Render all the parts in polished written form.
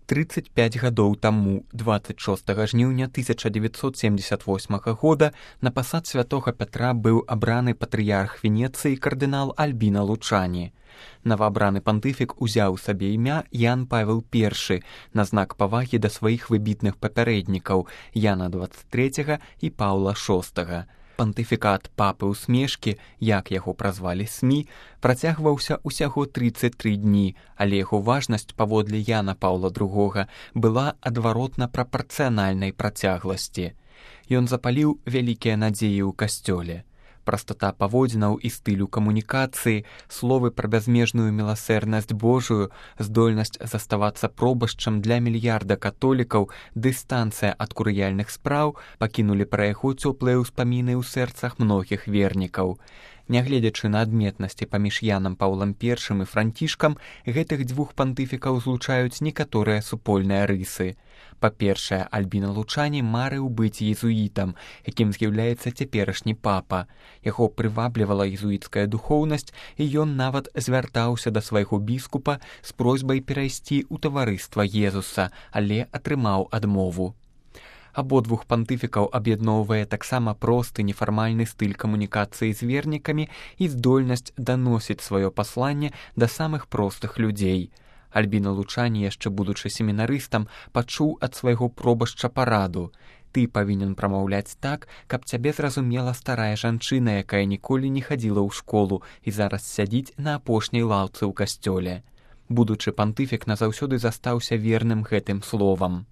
35 гадоў таму, 26 жніўня 1978 года, на пасад святога Пятра быў абраны патрыярх Венецыі кардынал Альбіна Лучані. Новаабраны пантыфік узяў сабе імя Ян Павел I на знак павагі да сваіх выбітных папярэднікаў Яна XXIII і Паўла VI. Пантыфікат папы ўсмешкі, як яго празвалі СМІ, працягваўся ўсяго 33 дні, але яго важнасць паводле Яна Паўла II была адваротна прапарцыянальнай працягласці. Ён запаліў вялікія надзеі ў касцёле. Прастата паводзінаў і стылю камунікацыі, словы пра бязмежную міласэрнасць Божую, здольнасць заставацца пробашчам для мільярда католікаў, дыстанцыя ад курыяльных спраў пакінулі пра яго цёплыя ўспаміны ў сэрцах многіх вернікаў. Нягледзячы на адметнасці паміж Янам Паўлам I і Францішкам, гэтых дзвюх пантыфікаў злучаюць некаторыя супольныя рысы. Па-першае, Альбіна Лучані марыў быць езуітам, якім з'яўляецца цяперашні папа. Яго прываблівала езуіцкая духоўнасць, і ён нават звяртаўся да свайго біскупа з просьбай перайсці ў таварыства Езуса, але атрымаў адмову. Абодвух пантыфікаў аб'ядноўвае таксама просты нефармальны стыль камунікацыі з вернікамі і здольнасць даносіць сваё пасланне да самых простых людзей. Альбіна Лучані, яшчэ будучы семінарыстам, пачуў ад свайго пробашча параду. Ты павінен прамаўляць так, каб цябе зразумела старая жанчына, якая ніколі не хадзіла ў школу і зараз сядзіць на апошняй лаўцы ў касцёле. Будучы пантыфік назаўсёды застаўся верным гэтым словам.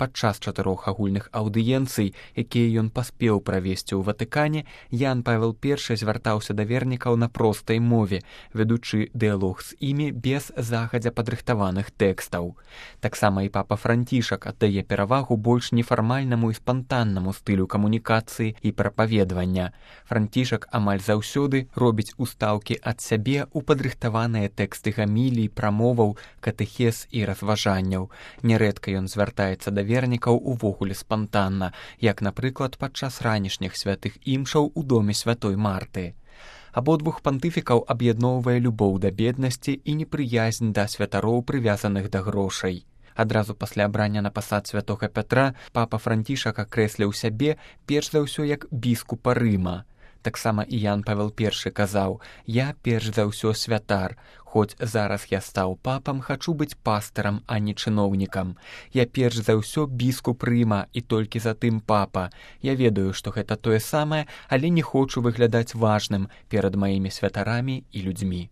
Падчас 4 агульных аўдыенцый, якія ён паспеў правесці ў Ватыкане, Ян Павел I звяртаўся да вернікаў на простай мове, вядучы дыялог з імі без загадзя падрыхтаваных тэкстаў. Таксама і папа Францішак аддае перавагу больш нефармальнаму і спантаннаму стылю камунікацыі і прапаведвання. Францішак амаль заўсёды робіць устаўкі ад сябе ў падрыхтаваныя тэксты гамілій, прамоваў, катэхез і разважанняў. Нярэдка ён звяртаецца да вернікаў увогуле спантанна, як, напрыклад, падчас ранішніх святых імшаў у доме святой Марты. Абодвух пантыфікаў аб'ядноўвае любоў да беднасці і непрыязнь да святароў, прывязаных да грошай. Адразу пасля абрання на пасад святога Пятра папа Францішак акрэсліў сябе перш за ўсё як біскупа Рыма. Таксама і Ян Павел I казаў: «Я перш за ўсё святар. Хоць зараз я стаў папам, хачу быць пастарам, а не чыноўнікам. Я перш за ўсё біскуп Рыма і толькі затым папа. Я ведаю, што гэта тое самае, але не хочу выглядаць важным перад маімі святарамі і людзьмі».